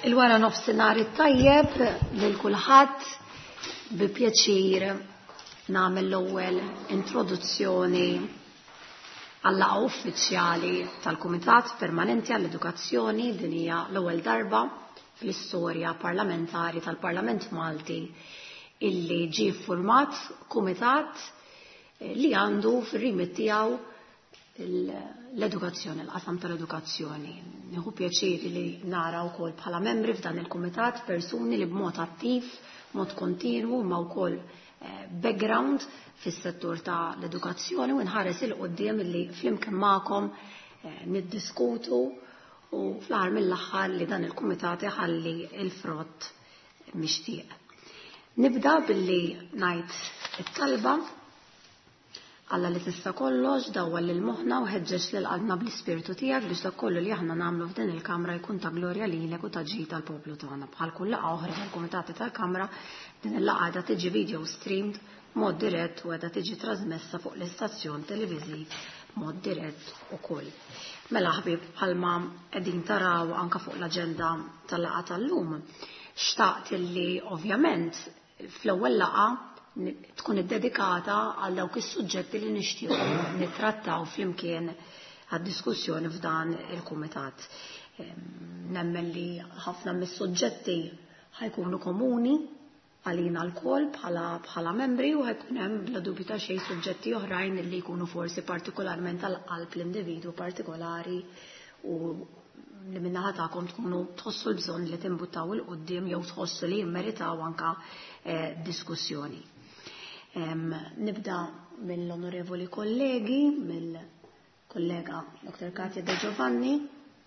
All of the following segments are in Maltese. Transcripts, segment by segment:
Il-wara nofsinhar it-tajjeb lil kulħadd bi pjaċir nagħmel l-ewwel introduzzjoni għal-laqgħa uffiċjali tal-Kumitat Permanenti għall-Edukazzjoni. Din hija l-ewwel darba fl-istorja parlamentari tal-Parlament Malti illi ġie ffurmat kumitat li għandu fir-rimit tiegħu l-edukazzjoni, l-qasam tal-edukazzjoni. Nieħu pjaċir li nara wkoll bħala membri f'dan il-kumitat persuni li b'mod attiv, mod kontinwu, ma wkoll eh, background fis-settur ta' l-edukazzjoni u nħares il qudiem li flimkien magħkom eh, niddiskutu u fl-aħħar mill-aħħar li dan il-kumitat iħalli il-frott mixtieq. Nibda billi ngħid it-talba. Alla li tista' kollox, dawwal lil moħħna u ħeġġeġ lil qalbna bl-Ispirtu tiegħek biex dak kollu li aħna nagħmlu f'din il-Kamra jkun ta' glorja lilek u ta' ġid għall-poplu tagħna. Bħal kull laqgħa oħra tal-Kumitati tal-Kamra, din il-laqgħa qiegħda tiġi video streamed b'mod dirett u qiegħda tiġi trasmessa fuq l-istazzjon televiżiv b'mod dirett ukoll. Mela ħbieb, bħalma qegħdin taraw anke fuq l-aġenda tal-laqgħa tal-lum, xtaqt illi ovvjament fl-ewwel laqgħa tkun iddedikata għal dawk is-suġġetti li nixtiequ nittrattaw flimkien għad-diskussjoni f'dan il-kumitat. Nemmen li ħafna mis-suġġetti ħajkunu komuni għalina lkoll bħala bħala membri u ħajkun hemm bla dubju ta' xejn suġġetti oħrajn li jkunu forsi partikolarment għal qalb l-individwu partikolari u li min-naħa tagħkom tkunu tħossu l-bżonn li timbuttaw 'il quddiem jew tħossu li jimmeritaw anka eh, diskussjoni. Nibda mill-onorevoli kollegi, mill-kollega Dr. Katia De Giovanni,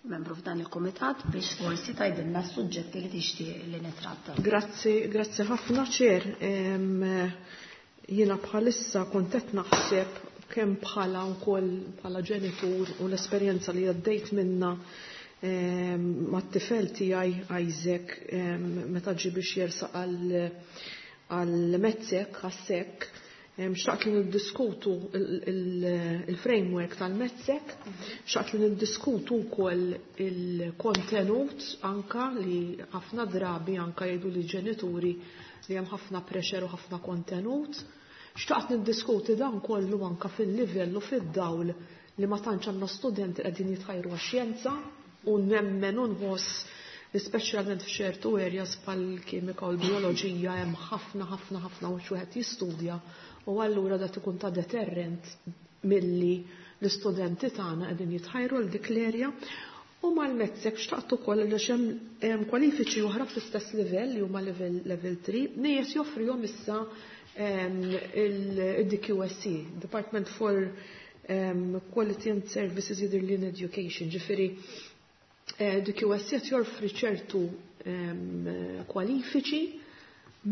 membru f'dan il-komitat, biex forsi tgħidilna s-suġġetti li tixtieq li nitratta. Grazzi, grazzi ħafna ċer. Jiena bħalissa kont qed naħseb kemm bħala wkoll bħala ġenitur u l-esperjenza li għaddejt minna mat-tifel tiegħi Isaac meta ġie biex jersaq għal mezzek għas-sekk xtaqt li niddiskutu il-framework tal-mezzek, xtaqt li niddiskutu wkoll il-kontenut anka li ħafna drabi anka jgħidu li ġenituri li hemm ħafna pressure u ħafna kontenut. Xtaqt niddiskuti dan kollu anka fil-livell u fid-dawl li ma tantx għandna studenti qegħdin jitħajru għax-xjenza u nemmen u nħoss li speċjalment f'ċertu areas bħal-kimika u l-bioloġija hemm ħafna ħafna ħafna u wieħed jistudja u allura da ikun ta' deterrent milli l-istudenti tagħna qegħdin jitħajru għal dik l-area. U mal-mezzek xtaqt ukoll li hemm kwalifiċi oħra fl-istess livell li huma level level 3 nies joffrihom issa il-DQSC, Department for Quality and Services jidher in Education, ġifieri DQSC qed joffri ċertu kwalifiċi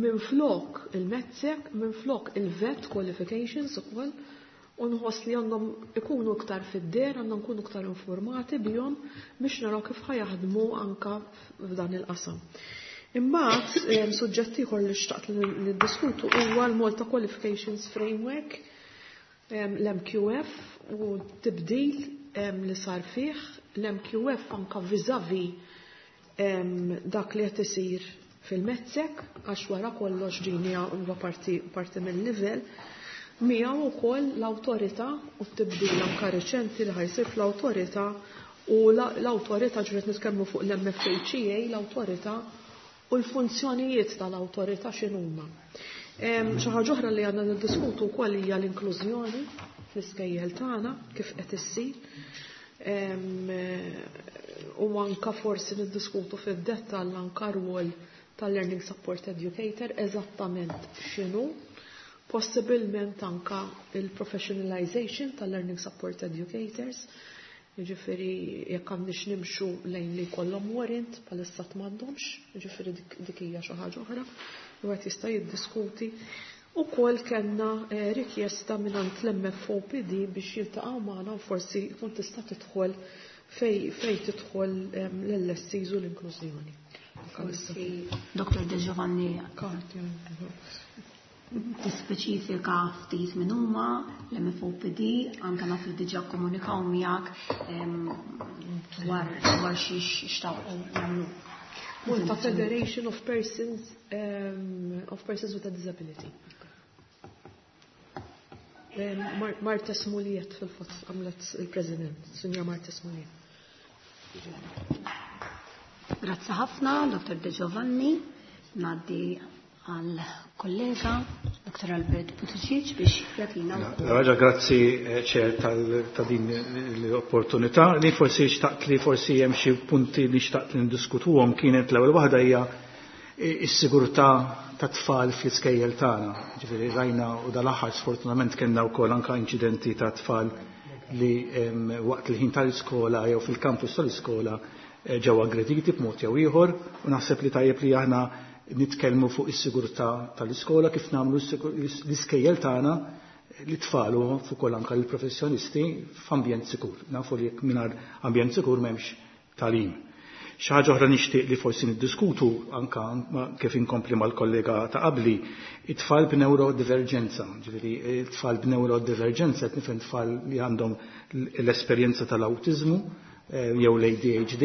minn flok il-mezzek, minn flok il-vet qualifications ukoll, u nħoss li għandhom ikunu iktar fid-der, għandhom ikunu iktar informati bihom biex naraw kif ħajaħdmu anka f'dan il-qasam. Imbagħad suġġett ieħor li xtaqt li niddiskutu huwa l-Malta Qualifications Framework, l-MQF u tibdil li sar fih, l-MQF anka vis-a-vis dak li qed isir fil-mezzek, għax wara kollox din huwa parti, parti mill-livell, miegħu wkoll l-awtorità u t-tibdil anka reċenti li ħajsir fl-awtorità u l-awtorità ġiet nitkellmu fuq l-MFHEA, l-awtorità u l-funzjonijiet tal-awtorità x'inhuma. Xi ħaġa oħra li għandna niddiskutu wkoll hija l-inklużjoni fl-iskejjel tagħna kif qed issir. U anka forsi niddiskutu fid-dettall anka rwol tal-Learning Support Educator eżattament x'inhu, possibilment anka il-professionalization tal-Learning Support Educators, jiġifieri jekk għandniex nimxu lejn li jkollhom warrant bħalissa m'għandhomx, jiġifieri dik hija xi ħaġa oħra li wieħed jista' jiddiskuti. Ukoll kellna rikjesta mingħand l-MFOPD biex jiltaqgħu magħna u forsi jkun tista' tidħol fej fej tidħol l-LSCs u l-inklużjoni. Forsi Dr. De Giovanni tispeċifika ftit minn huma l-MFOPD, anke naf li diġà komunikaw miegħek dwar dwar xiex xtaqu jagħmlu. Malta Federation of Persons of Persons with a Disability. Marta Smuliet fil-fatt għamlet il-President, Sinja Marta Smuliet. Grazzi ħafna, Dr. De Giovanni. Ngħaddi għal kollega Dr. Albert Buttigieg biex jagħtina. Raġa, grazzi ċer ta' din l-opportunità. Li forsi xtaqt li forsi hemm xi punti li xtaqt li ndiskutuhom kienet l-ewwel waħda hija s-sigurtà ta' tfal fl-iskejjel tagħna. Ġifieri rajna u dal-aħħar sfortunatament kellna wkoll anke inċidenti ta' tfal li waqt il-ħin tal-iskola jew fil-kampus tal-iskola ġew aggrediti b'mod jew ieħor, u naħseb li tajjeb li aħna nitkellmu fuq is-sigurtà tal-iskola, kif nagħmlu l-iskejjel tagħna l-tfal u fuq ukoll anke l-professjonisti f'ambjent sikur. Nafu li jekk mingħajr ambjent sikur m'hemmx tagħlim. Xi ħaġa oħra nixtieq li forsi niddiskutu anke kif inkompli mal-kollega ta' qabli, it-tfal b'neurodiverġenza. Ġifieri it-tfal b'neurodiverġenza qed nifhem tfal li għandhom l-esperjenza tal-awtiżmu jew l-ADHD,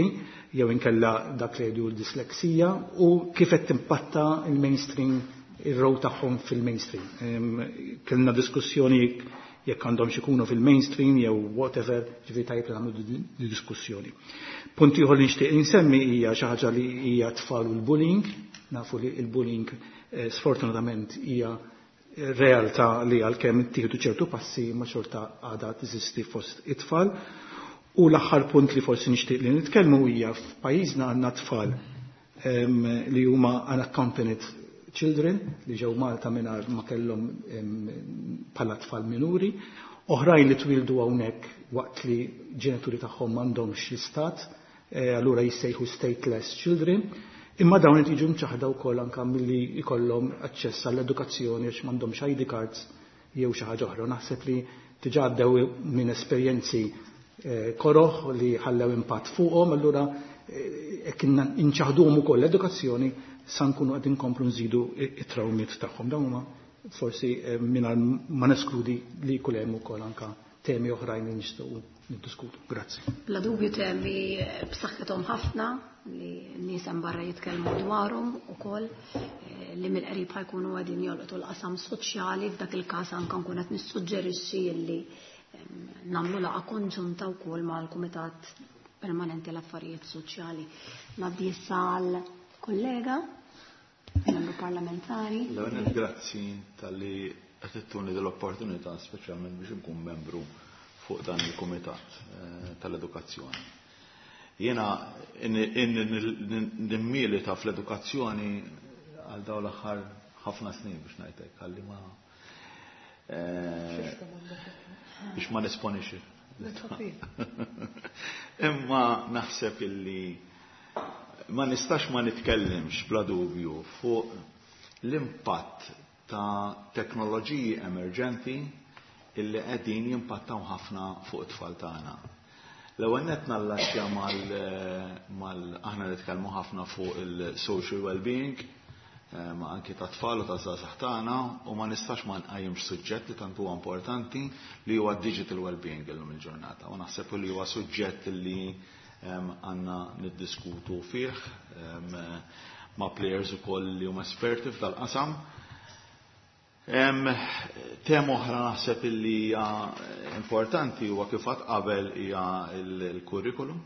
jew inkella dak li jgħidu l-disleksija, u kif qed timpatta il-mainstream, ir-row tagħhom fil-mainstream. Kellna diskussjoni jekk għandhom ikunu fil-mainstream jew whatever, ġifieri tajjeb li nagħmlu di diskussjoni. Punt ieħor li nixtieq insemmi hija xi ħaġa li hija tfal u l-bullying. Nafu li l-bullying sfortunatament hija realtà li għalkemm ittieħdu ċertu passi ma xorta għadha teżisti fost it-tfal. U l-aħħar punt li forsi nixtieq li nitkellmu hija f'pajjiżna għandna tfal li huma unaccompanied children li ġew Malta mingħajr ma kellhom bħala tfal minuri, oħrajn li twildu hawnhekk waqt li ġenituri tagħhom m'għandhomx l-istat, allura jissejħu stateless children, imma dawn qed jiġu mċaħda wkoll anke milli jkollhom aċċess għall-edukazzjoni għax m'għandhomx ID cards jew xi ħaġa oħra. Naħseb li diġà għaddew minn esperjenzi koroħ li ħallew impatt fuqhom, allura jekk inċaħduhom ukoll l-edukazzjoni sa nkunu qed inkomplu nżidu it-trawmiet tagħhom. Dawn huma forsi mingħajr ma neskludi li jkun hemm ukoll anke temi oħrajn li nistgħu niddiskutu. Grazzi. Bla dubju temi b'saħħithom ħafna li n-nies hemm barra jitkellmu dwarhom ukoll, li mill-qrib ħajkunu qegħdin jolqtu l-qasam soċjali. F'dak il-każ anke nkun qed nissuġġerixxi li nagħmlu laqgħa konġunta wkoll mal-Kumitat Permanenti l-Affarijiet Soċjali. Ngħaddi issa għal kollega, membru parlamentari. L-ewwel grazzi talli qed ittuni dell-opportunità speċjalment biex inkun membru fuq dan il-Kumitat tal-Edukazzjoni. Jiena nimmilita fl-edukazzjoni għal dawn l-aħħar ħafna snin biex ngħidlek, ħalli ma biex ma nesponix. Imma naħseb illi ma nistax ma nitkellimx bla dubju fuq l-impatt ta' teknoloġiji emerġenti illi qegħdin jimpattaw ħafna fuq it-tfal tagħna. L-ewwel nett nallaxxja mal aħna nitkellmu ħafna fuq il-social well-being, ma anki ta' tfal u ta' żgħażagħ tagħna, u ma nistax ma nqajjimx suġġett li tant huwa importanti li huwa digital well-being illum il-ġurnata. U naħseb li huwa suġġett li għandna niddiskutu fih ma' players ukoll li huma esperti f'dal-qasam. Tema oħra naħseb li hija importanti huwa kif għad qabel hija l-curriculum,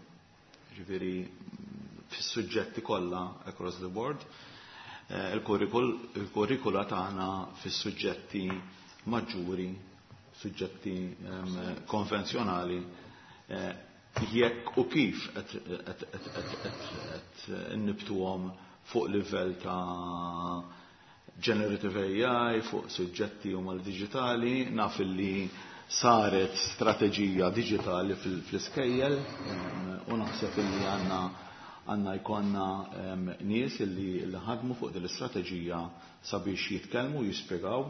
ġifieri fis-suġġetti kollha across the board. Il-kurrikula tagħna fis-suġġetti maġġuri, suġġetti konvenzjonali, jekk u kif qed innibtuhom fuq livell ta' generative AI, fuq suġġetti huma l-digitali, naf li saret strateġija digitali fl-iskejjel, u naħseb li għandna jkollna nies li ħadmu fuq din l-istrateġija sabiex jitkellmu, jispjegaw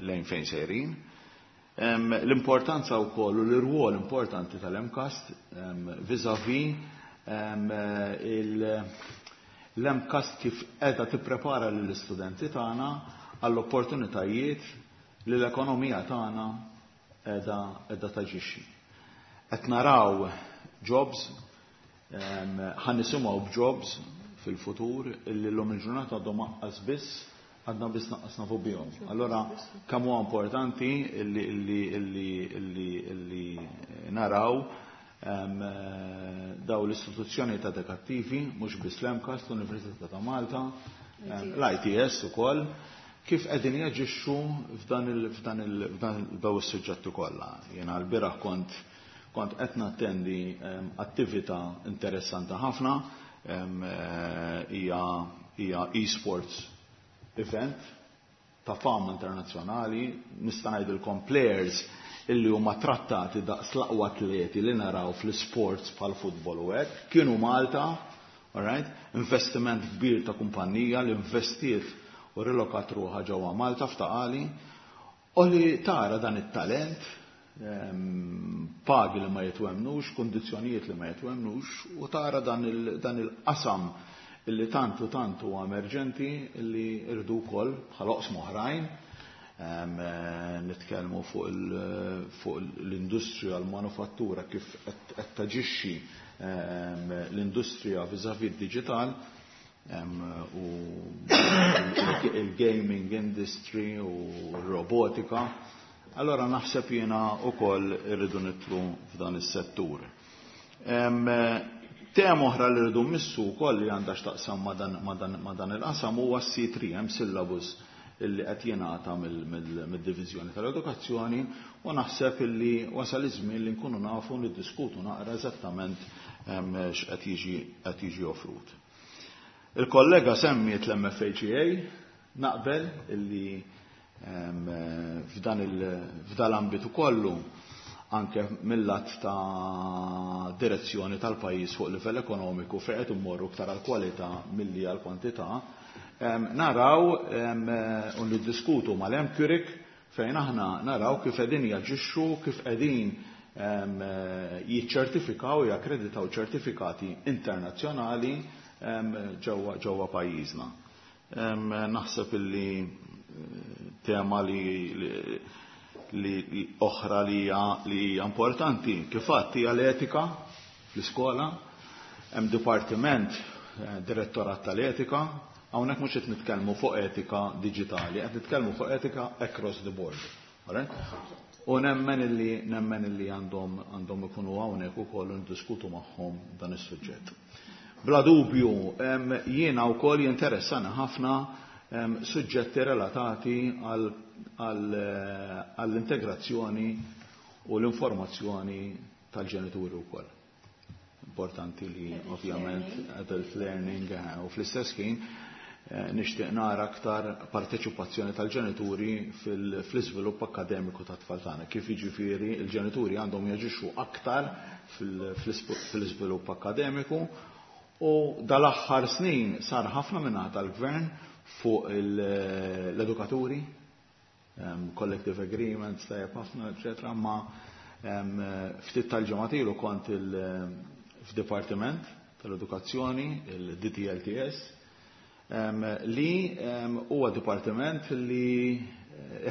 lejn fejn sejrin. L-importanza wkoll u l-irwol importanti tal-MCAST vis-a-vis l-MCAST kif qiegħda tipprepara lill-istudenti tagħna għall-opportunitajiet li l-ekonomija tagħna qiegħda taġixxi. Qed naraw jobs, ħa nisimgħu b'jobs fil-futur illi llum il-ġurnata għadhom aqqas biss għadna biss naqqas nafu bihom. Allora kemm huwa importanti illi naraw daw l-istituzzjoni ta' edukattivi, mhux biss l-MCAST, l-Università ta' Malta, l-ITS ukoll, kif qegħdin jaġixxu f'dan daw is-suġġetti kollha. Jiena l-bieraħ kont qed nattendi attività interessanti ħafna, hija e-sports event ta' fama internazzjonali, nista' ngħidilkom players illi huma trattati daqs l-aqwa atleti li naraw fl-sports bħal futbol u hekk, kienu Malta, all right? Investiment kbir ta' kumpanija li investiet u rilokat ruħha ġewwa Malta f'Ta' Qali, u li tara dan it-talent, pagi li ma jitwemnux, kundizzjonijiet li ma jitwemnux, u tara dan il-qasam illi tantu tantu huwa emerġenti illi irdu wkoll bħal oqsma oħrajn, nitkellmu fuq l-industrija, l-manufattura, kif qed taġixxi l-industrija vis-à-vis digital, u il-gaming industry u r-robotika. Allora naħseb jiena wkoll irridu nitlu f'dan is-settur. Tema oħra li rridu mmissu wkoll li għandha x'taqsam ma' dan il-qasam huwa C3, hemm syllabus illi qed jingħata mid-Diviżjoni tal-Edukazzjoni, u naħseb illi wasal iż-żmien li nkunu nafu niddiskutu naqra eżattament x'qed jiġi offrut. Il-kollega semmiet l-MFHEA, naqbel illi f'dan l-ambitu kollu anke mill-lat ta' direzzjoni tal-pajjiż fuq livell ekonomiku fejn qed immorru iktar għal kwalità milli għal kwantità, naraw u niddiskutu mal-MQRIC fejn aħna naraw kif qegħdin jaġixxu, kif qegħdin jiċċertifikaw, jakkreditaw ċertifikati internazzjonali ġewwa pajjiżna. Naħseb illi tema li oħra li hija importanti kif għadd hija l-etika fl-iskola. Hemm dipartiment, direttorat tal-etika, hawnhekk mhux qed nitkellmu fuq etika diġitali, qed nitkellmu fuq etika across the board. U nemmen illi għandhom ikunu hawnhekk ukoll ndiskutu magħhom dan is-suġġett. Bla dubju, jiena wkoll jinteressana ħafna suġġetti relatati għall-integrazzjoni u l-informazzjoni tal-ġenituri wkoll. Importanti li ovvjament adult learning, u fl-istess ħin nixtieq nara aktar parteċipazzjoni tal-ġenituri fl-iżvilupp akkademiku tat-tfal tagħna. Kif jiġifieri l-ġenituri għandhom jaġixxu aktar fl-iżvilupp akkademiku, u dal-aħħar snin sar ħafna minn tal-gvern fuq l-edukaturi, collective agreements, tajjeb ħafna, eccetera, ma ftit tal-ġimgħat ilu kont f'Dipartiment tal-Edukazzjoni, il-DTLTS, li huwa dipartiment li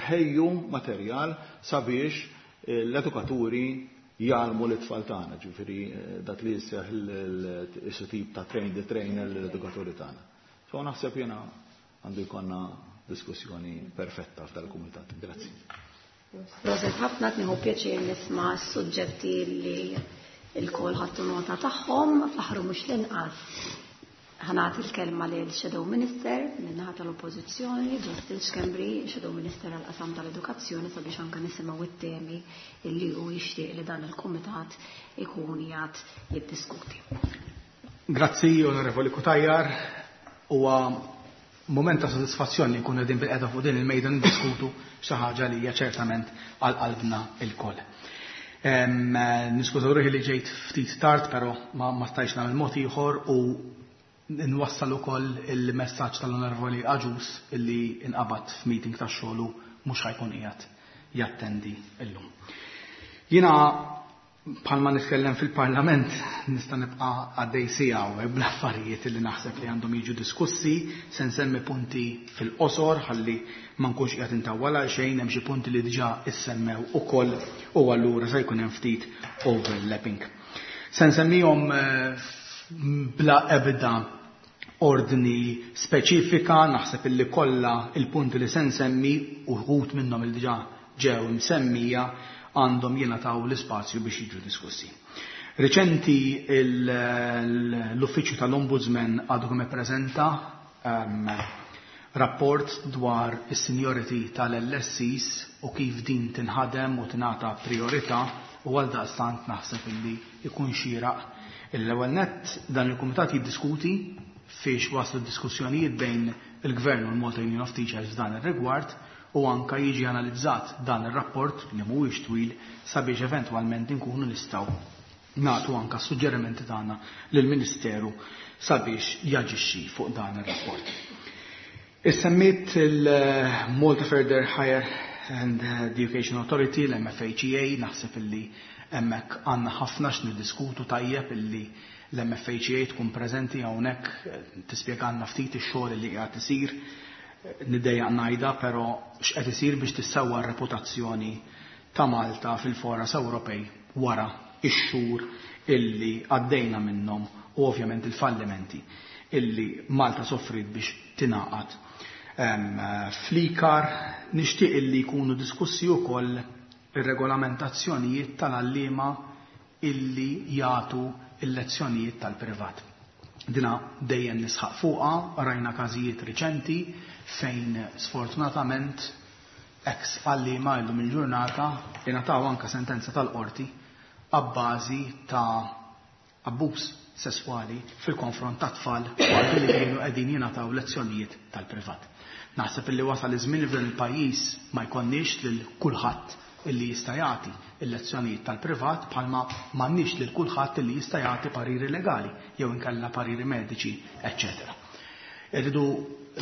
ħejju materjal sabiex l-edukaturi jgħallmu l-itfal tagħna, ġifieri dak li jisseħ il-tip ta' train the trainer l-edukaturi tagħna. So naħseb jiena għandu jkollna diskussjoni perfetta f'dal-kumitat. Grazzi. Proset ħafna, nieħu pjaċir nisma' s-suġġetti li l-kol ħadtu nota tagħhom, fl-aħħar mhux l-inqas. Ħanati l-kelma lil Shadow Minister min-naħa tal-Oppożizzjoni, Justin Schembri, Shadow Minister għall-qasam tal-Edukazzjoni, sabiex anke nisimgħu it-temi illi hu jixtieq li dan il-kumitat ikun qiegħed jiddiskuti. Grazzi, Onorevoli Cutajar. Huwa moment ta' sodisfazzjon li nkunu qegħdin bil-qeda fuq din il-mejda niddiskutu xi ħaġa li hija ċertament għal qalbna lkoll. Niskużaw ruħi li ġejt ftit tard, però ma stajtx nagħmel mod ieħor u nwassal ukoll il-messaġġ tal-Onorevoli Agius illi inqabad f'meeting tax-xogħol mhux ħajkun qiegħed jattendi illum. Jiena bħalma nitkellem fil-Parlament nista' nibqa' għaddej siegħa hawnhekk bl-affarijiet li naħseb li għandhom jiġu diskussi, se nsemmi punti fil-qosor ħalli ma nkunx qiegħed intawwal għal xejn, hemm xi punti li diġà issemmew ukoll u allura se jkun hemm ftit overlapping. Se nsemmihom bla ebda ordni speċifika, naħseb illi kollha il-punti li se nsemmi uħud minnhom il diġà ġew msemmija għandhom jingħataw l-ispazju biex jiġu diskussi. Reċenti l-Uffiċċju tal-Ombudsman għadu kemm ippreżenta rapport dwar is-seniority tal-LSCs u kif din tinħadem u tingħata priorità, u għal daqstant naħseb illi ikun xieraq l-ewwel nett dan il-kumitat jiddiskuti fiex waslu diskussjonijiet bejn il-Gvern u l-Malta Union of Teachers f'dan ir-rigward, u anka jiġi analizzat dan ir-rapport li mhuwiex twil sabiex eventwalment inkunu nistgħu nagħtu anka suġġerimenti tagħna lill-Ministeru sabiex jaġixxi fuq dan ir-rapport. Issemmiet il-Malta Further Higher and Education Authority, l-MFHEA, naħseb illi hemmhekk għandna ħafna x'niddiskutu, tajjeb illi l-MFHEA tkun preżenti hawnhekk tispjegalna ftit ix-xogħol li qiegħed isir. Niddejjaq ngħidha, però x'qed isir biex tissewwa r-reputazzjoni ta' Malta fil-foras Ewropej wara ix-xhur illi għaddejna minnhom u ovvjament il-fallimenti illi Malta soffrit biex tingħaqad fl-ICAR. Nixtieq illi jkunu diskussi wkoll ir-regolamentazzjonijiet tal-għalliema illi jagħtu il-lezzjonijiet tal-privat. Dina dejjem nisħaq fuqha, rajna każijiet riċenti fejn sfortunatament ex għalliema illum il-ġurnata ingħataw anka sentenza tal-qorti abbażi ta' abbuż sesswali fil-konfront ta' tfal waqt li kienu qegħdin jingħataw lezzjonijiet tal-privat. Naħseb illi wasal iż-żmien li f'dan il-pajjiż ma jkollniex lil kulħadd illi jista' jagħti il-lezzjonijiet tal-privat, bħalma m'għandniex lil kulħadd illi jista' jagħti pariri legali jew inkella pariri mediċi, eċċetera. Irridu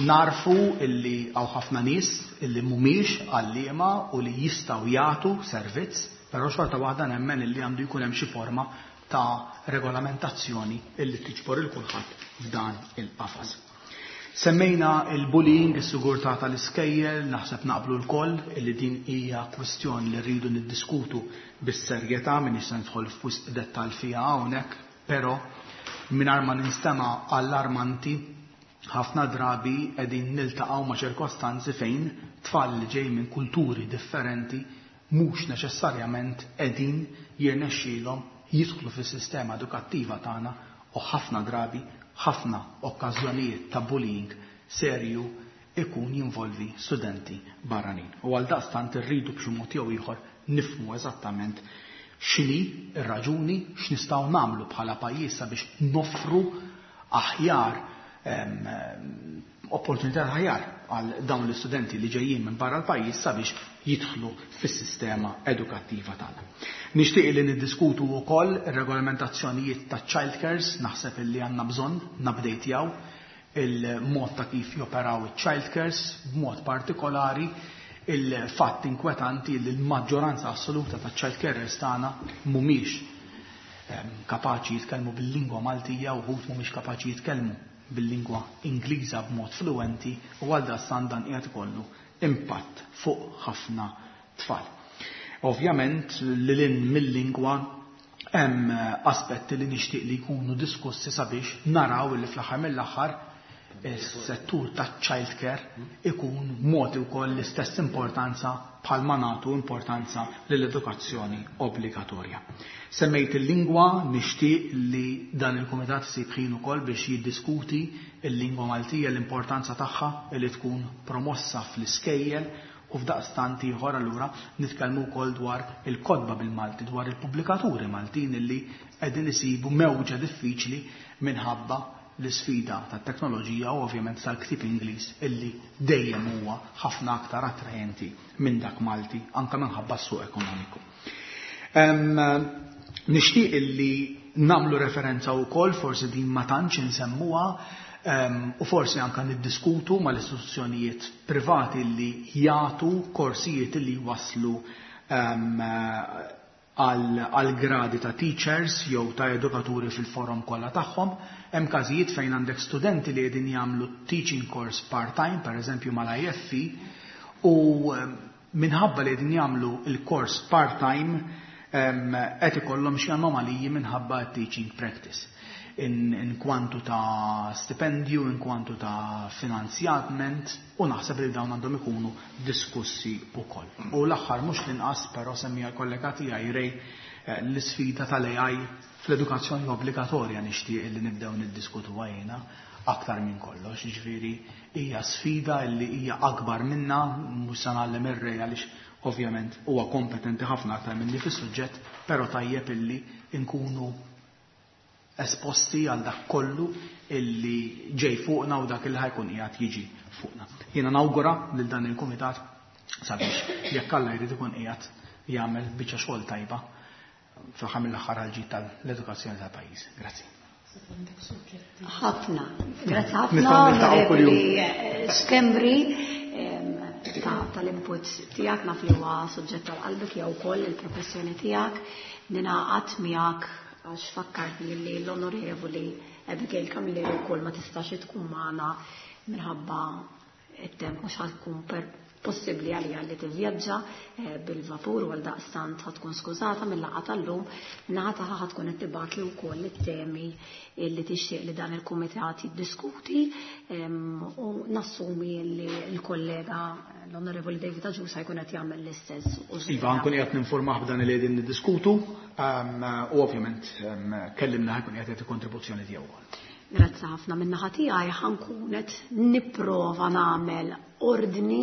narfu illi hawn ħafna nies illi mhumiex għalliema u li jistgħu jagħtu servizz, però xorta waħda nemmen illi għandu jkun hemm xi forma ta' regolamentazzjoni illi tiġbor il kulħadd f'dan il-qafas. Semmejna il-bullying, is-sigurtà tal-iskejjel, naħseb naqblu lkoll illi din hija kwestjoni li rridu niddiskutu bis-serjetà, m'iniex se nidħol f'wisq dettall fiha hawnhekk, però mingħajr ma ninstema' allarmanti, ħafna drabi qegħdin niltaqgħu ma' ċirkostanzi fejn tfal li ġej minn kulturi differenti mhux neċessarjament qegħdin jirnexxielhom jidħlu fis-sistema edukattiva tagħna, u ħafna drabi ħafna okkażjonijiet ta' bullying serju ikun jinvolvi studenti barranin. U għal daqstant irridu b'xi mod jew ieħor nifhmu eżattament x'inhi r-raġuni, x'nistgħu nagħmlu bħala pajjiż sabiex noffru aħjar opportunità aħjar għal dawn l-istudenti li ġejjin minn barra l-pajjiż sabiex jidħlu fis-sistema edukattiva tagħna. Nixtieq li niddiskutu wkoll ir-regolamentazzjonijiet ta' child cares, naħseb illi għandna bżonn nupdatejaw il-mod ta' kif joperaw il-child cares, b'mod partikolari il-fatt inkwetanti li l-maġġoranza assoluta ta' child carers tagħna mhumiex kapaċi jitkellmu bil-lingwa Maltija u wħud mhumiex kapaċi jitkellmu bil-lingwa Ingliża b'mod fluenti, u għal dan dan qiegħed ikollu impatt fuq ħafna tfal. Ovvjament lil hinn mill-lingwa hemm aspetti li nixtieq li jkunu diskussi sabiex naraw li fl-aħħar mill-aħħar is-settur ta' child care ikun mogħti wkoll l-istess importanza bħalma nagħtu importanza lill-edukazzjoni obbligatorja. Semmejt il-lingwa, nixtieq li dan il-kumitat isib ħin ukoll biex jiddiskuti il-lingwa Maltija, l-importanza tagħha li tkun promossa fl-iskejjel, u f'daqstant ieħor allura nitkellmu wkoll dwar il-kotba bil-Malti, dwar il-pubblikaturi Maltin illi qegħdin isibu mewġa diffiċli minħabba l-isfida tat-teknoloġija u ovvjament tal-ktieb Ingliż illi dejjem huwa ħafna aktar attrajenti minn dak Malti, anke minħabba s-suq ekonomiku. Nixtieq illi nagħmlu referenza wkoll, forsi din ma tantx insemmuha, u forsi anke niddiskutu mal-istituzzjonijiet privati li jagħtu korsijiet li waslu għal gradi ta' teachers jew ta' edukaturi fil-forum kollha tagħhom. Hemm każijiet fejn għandek studenti li qegħdin jagħmlu teaching course part-time, per eżempju mal-IFE, u minħabba li qegħdin jagħmlu il-kors part-time qed ikollhom xi anomaliji minħabba teaching practice. in kwantu ta' stipendju, in kwantu ta' finanzjament, u naħseb li dawn għandhom ikunu diskussi wkoll. U l-aħħar mhux l-inqas, però semmija l-kollega tiegħi Ray, l-isfida tal-AI fl-edukazzjoni obbligatorja nixtieq li nibdew niddiskutuha jiena aktar minn kollox, jiġifieri hija sfida li hija akbar minna, mhux se ngħallem ir-Ray għaliex ovvjament huwa kompetenti ħafna aktar minni fis-suġġett, però tajjeb illi nkunu esposti għal dak kollu illi ġej fuqna u dak illi ħajkun qiegħed jiġi fuqna. Jiena nawgura lil dan il-kumitat sabiex jekk Alla jrid ikun qiegħed jagħmel biċċa xogħol tajba fl-aħħar mill-aħħar għall-ġid tal-edukazzjoni tal-pajjiż. Grazzi. Ħafna. Grazzi ħafna, Onorevoli Schembri, tal-input tiegħek, naf li huwa suġġett tal-qalbek jew ukoll il-professjoni tiegħek. Ninaqat miegħek għax fakkartni li l-Onorevoli Abigail Camilleri wkoll ma tistax tkun magħna minħabba it-temp mhux ħatkun possibbli għalija li tivvjaġġa bil-vapur u għaldaqstant ħatkun skużata mill-laqgħa tal-lum, naħa tagħha ħatkun qed tibgħatli wkoll it-temi li tixtieq li dan il-kumitat jiddiskuti, u nassumi li l-kollega l-Onorevoli David Agius ħajkun qed jagħmel l-istess. Iva, nkun qiegħed ninformah b'dan li qegħdin niddiskutu, u ovvjament kellimna ħajkun qiegħed jagħti kontribuzzjoni tiegħu wkoll. Grazzi ħafna. Min-naħa tiegħi ħankun qed nipprova nagħmel ordni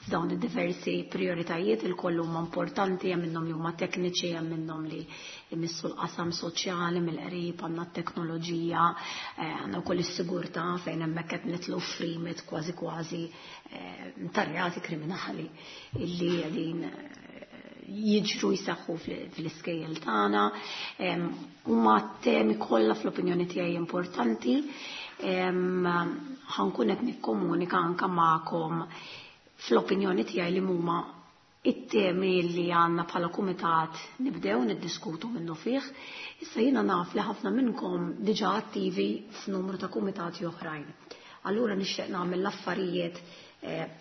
f'dawn id-diversi prioritajiet, il-koll huma importanti, hemm minnhom li huma tekniċi, hemm minnhom li jmissu l-qasam soċjali mill-qrib, għandna t-teknoloġija, għandna wkoll is-sigurtà fejn hemmhekk qed nitlu f'rimit kważi kważi tarjati kriminali illi qegħdin jiġru jseħħu fl-iskejjel tagħna. Huma temi kollha fl-opinjoni tiegħi importanti. Ħankun qed nikkomunika anke magħkom fl-opinjoni tiegħi li huma it-temi li għandna bħala kumitat nibdew niddiskutu minnu fih. Issa jiena naf li ħafna minnkom diġà attivi f'numru ta' kumitati oħrajn. Allura nixtieq nagħmel l-affarijiet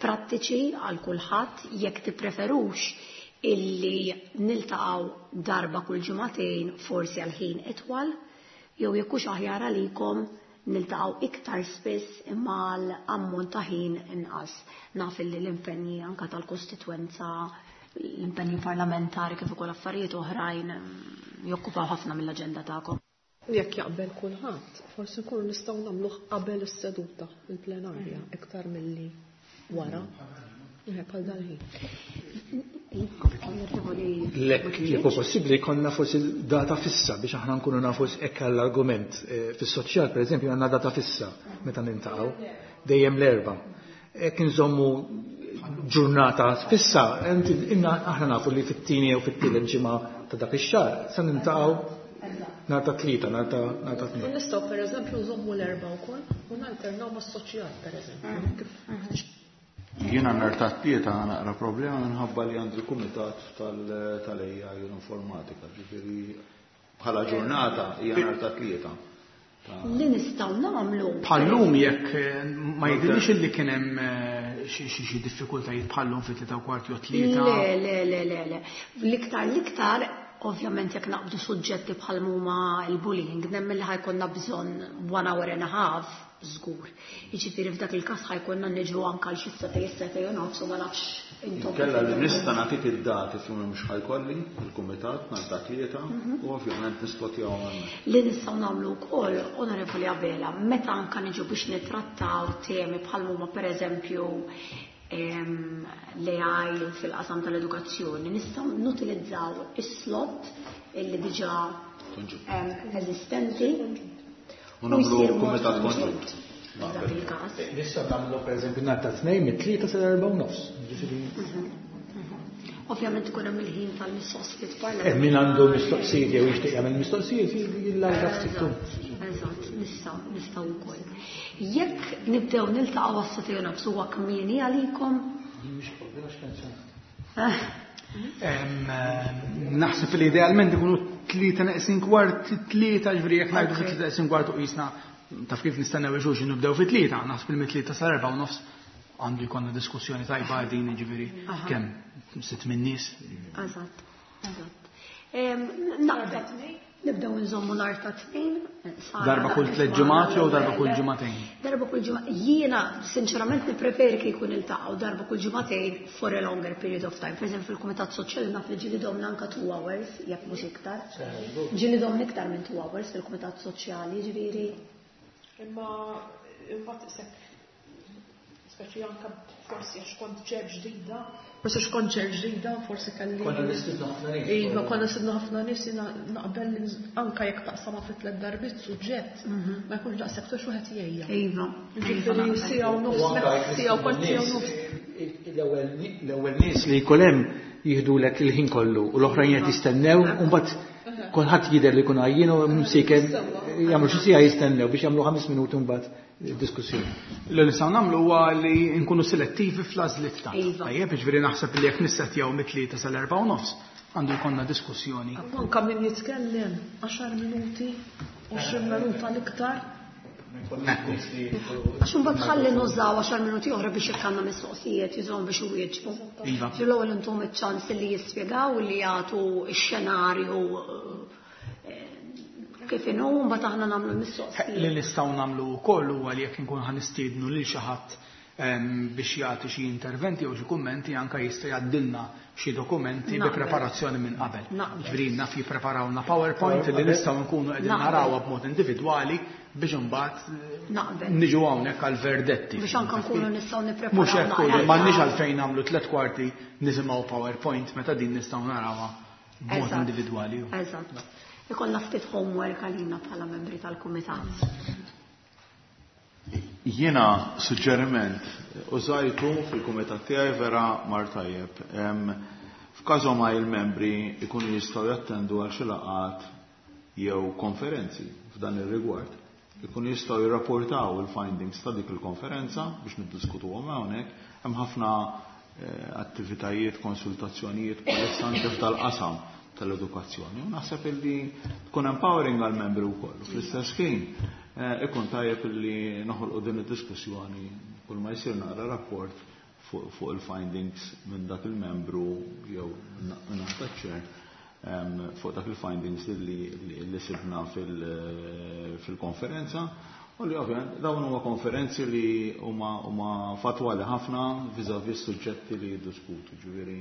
prattiċi għal kulħadd, jekk tippreferux illi niltaqgħu darba kull ġimagħtejn forsi għal ħin itwal, jew jekk hux aħjar għalikom niltaqgħu iktar spiss imma għal ammont ta' ħin inqas. Naf illi l-impenji anka tal-kostitwenza, l-impenji parlamentari kif ukoll affarijiet oħrajn jokkupaw ħafna mill-aġenda tagħkom. Jekk jaqbel kulħadd, forsi nkunu nistgħu nagħmluh qabel is-seduta, il-plenarja, iktar milli wara. Bħal dal-ħin. Lek, jekk hu possibbli, konna forsi data fissa biex aħna nkunu nafu hekk għall-argument. Fis-soċjal, pereżempju, għandna data fissa meta nintaqgħu, dejjem l-Erbgħa. Hekk inżommu ġurnata fissa, aħna nafu li fit-tieni jew fit-tielet ġimgħa ta' dak ix-xahar se nintaqgħu nhar ta' Tlieta, nhar ta' Tnejn. Nistgħu pereżempju nżommu l-Erbgħa wkoll u nalternaw mas-soċjal pereżempju. Jiena nhar ta' Tlieta naqra problema minħabba li għandi l-kumitat tal-AI u l-informatika, ġifieri bħala ġurnata hija nhar ta' Tlieta. Li nistgħu nagħmlu. Bħallum jekk ma jidhirlix illi kien hemm xi diffikultajiet bħallum fi 3:15 jew 3. Le, le, le, le, le. L-iktar, l-iktar, ovvjament jekk naqbdu suġġetti bħal huma l-bullying, nemmen li ħajkonna bżonn 1 hour and a half, żgur. Jiġifieri f'dak il-każ ħajkonna niġu anke għal xi setej, setej u nofs u ma nafx intom. Kella li nista' nagħtik id-dati fejn mhux ħajkolli il-kumitat nhar ta' Tlieta u ovvjament nisplotjahom hemmhekk. Li nistgħu nagħmlu wkoll, Onorevoli Abela, meta anke niġu biex nittrattaw temi bħal huma pereżempju l-AI fil-qasam tal-edukazzjoni, nistgħu nutilizzaw is-slot illi diġà eżistenti. U nagħmlu kumitat konġunt. Dak il-każ. Nistgħu nagħmlu pereżempju nhar ta' Tnejn mit-3 sal-4:30. Ġifieri. Ovvjament ikun hemm il-ħin tal-mistoqsijiet parlamentari. Min għandu mistoqsijiet jew jixtieq jagħmel mistoqsijiet jillarga ftit. Eżatt, nistgħu wkoll. Jekk nibdew niltaqgħu għas-sagħtejn u nofs huwa kmieni għalikom? Mhix problema x'pensjonat. Naħseb li idealment ikunu tlieta neqsin kwart, tlieta, ġifieri jekk ngħidu fi tlieta neqsin kwart u qisna taf kif nistennew il-xulxin nibdew fi tlieta, naħseb li mit-tlieta sal-erba' u nofs għandu jkollna diskussjoni tajba din, ġifieri kemm sitt minn nies. Eżatt, eżatt. Nibdew nżommu nhar ta' Tnejn. Darba kull tliet ġimgħat jew darba kull ġimagħtejn? Darba kull ġimgħa. Jiena sinċerament nippreferi kieku niltaqgħu darba kull ġimagħtejn for a longer period of time. Per fil-Kumitat Soċjali naf li ġieli domna anka 2 hours, jekk mhux iktar. Ġieli domna iktar minn 2 hours fil-Kumitat Soċjali, ġifieri. Imma imbagħad isek speċi anka forsi għax kont chair ġdida, forsi għax kont chair ġdida, forsi kelli. Konna nistidnu ħafna nies. Iva, konna nistidnu ħafna nies, jiena naqbel anka jekk taqsama fit tliet darbiet suġġett, ma jkunx daqshekk tux wieħed jgħejja. Ġifieri siegħa u nofs, siegħa u kwart, siegħa u nofs. L-ewwel nies li jkun hemm jieħdulek il-ħin kollu u l-oħrajn qed jistennew u mbagħad kulħadd jidher li jkun għajjien u msiken jagħmlu xi siegħa jistennew biex jagħmlu 5 minuti mbagħad diskussjoni. Li nistgħu nagħmlu huwa li nkunu selettivi fl-għażliet tagħna. Tajjeb, jiġifieri naħseb li jekk nissettjaw mit-3 sal-4:30 għandu jkollna diskussjoni. Anka min jitkellem 10 minuti, 20 minuta l-iktar. Għax imbagħad ħalli nużaw 10 minuti oħra biex jekk għandna mistoqsijiet jużawhom biex iwieġbu. L-ewwel intom iċ-ċans li jispjegaw li jagħtu x-xenarju kif inhu, mbagħad aħna nagħmlu mistoqsijiet. Li nistgħu nagħmlu wkoll huwa li jekk inkun ħa nistiednu lil xi ħadd biex jagħti xi interventi jew xi kummenti, anke jista' jgħaddilna xi dokumenti bi preparazzjoni minn qabel. Ġifieri naf jippreparawna PowerPoint li nistgħu nkunu qegħdin narawha b'mod individwali biex imbagħad niġu hawnhekk għal verdetti. Biex anke nkunu nistgħu nippreparaw. Mhux hekk, m'għandniex għalfejn nagħmlu tliet kwarti nisimgħu PowerPoint meta din nistgħu narawha b'mod individwali. Eżatt. Ikollna ftit homework għalina bħala membri tal-kumitat. Jiena suġġeriment użajtu fil-kumitat tiegħi, vera mar tajjeb. F'każu ma il-membri ikunu jistgħu jattendu għal xi laqgħat jew konferenzi f'dan ir-rigward. Ikunu jistgħu jirrapportaw il-findings ta' dik il-konferenza biex niddiskutuhom hawnhekk. Hemm ħafna attivitajiet, konsultazzjonijiet bħalissa anke f'dal-qasam tal-edukazzjoni. U naħseb illi tkun empowering għal-membri wkoll. Fl-istess ħin ikun tajjeb illi noħolqu din id-diskussjoni kull ma jsir naqra rapport fuq il-findings minn dak il-membru jew minn chair fuq dak il-findings li sibna fil-konferenza. U li ovvjament dawn huma konferenzi li huma fatwali ħafna vis-à-vis suġġetti li jiddiskutu. Ġifieri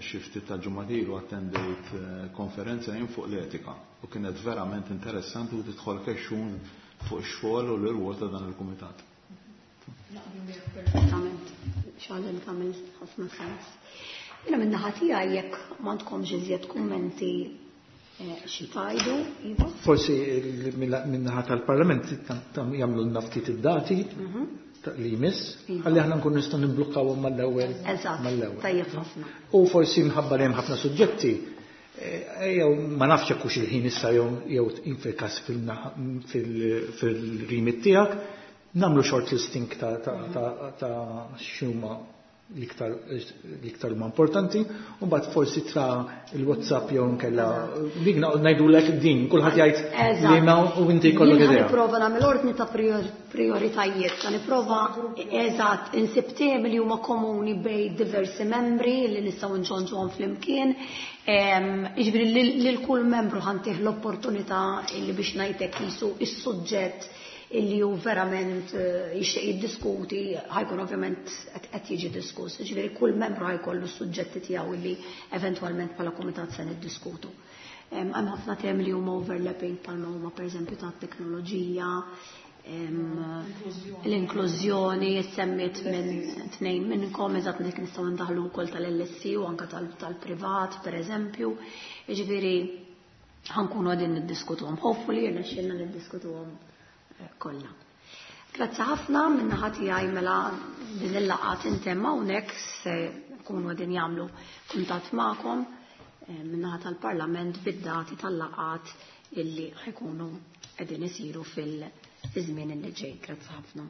xi ftit ta' ġimgħat ilu attendejt konferenza jien fuq l-etika u kienet verament interessanti u tidħol kexxun fuq ix-xogħol u l-irwol ta' dan il-kumitat. Perfettament, xogħol tagħmel ħafna sens. Jiena min-naħa tiegħi, jekk m'għandkomx iżjed kummenti xi tgħidu, Iva? Forsi min-naħa tal-Parlament jagħmlu ftit id-dati li jmiss, ħalli aħna nkun nistgħu nimblukkawhom mal-ewwel. Eżatt, tajjeb ħafna. U forsi mħabba li hemm ħafna suġġetti, jew ma nafx hekk hux il-ħin issa jew fil-każ fil-remit tiegħek, nagħmlu shortlisting ta' x'huma l-iktar huma importanti, u mbagħad forsi tra il-WhatsApp jew nkella dik ngħidulek din, kulħadd jgħid li ma u inti jkollok Jien idea. Nipprova nagħmel ordni ta' prioritajiet, ta' nipprova, eżatt, insib temi li huma komuni bejn diversi membri li nistgħu nġonġuhom flimkien. Jiġifieri lil kull membru ħa ntih l-opportunità li biex ngħidlek jisu is-suġġett illi hu verament jixtieq jiddiskuti ħa jkun ovvjament qed jiġi diskuss. Ġifieri kull membru ħa jkollu s-suġġetti tiegħu illi eventwalment bħala kumitat se niddiskutu. Hemm ħafna temi li huma overlapping bħalma huma pereżempju ta' teknoloġija, l-inklużjoni, semmiet minn tnejn minnkom, eżatt, dik nistgħu ndaħlu wkoll tal-LSE u anke tal-privat pereżempju. Jiġifieri ħa nkunu qegħdin niddiskutuhom. Hopefully jirnexxielna niddiskutuhom kollha. Grazzi ħafna min-naħa tiegħi, mela din il-laqgħa tintemm hawnhekk. Se nkunu qegħdin jagħmlu kuntatt magħkom min-naħa tal-Parlament bid-dati tal-laqgħat illi ħa jkunu qegħdin isiru fil-żmien illi ġej. Grazzi ħafna.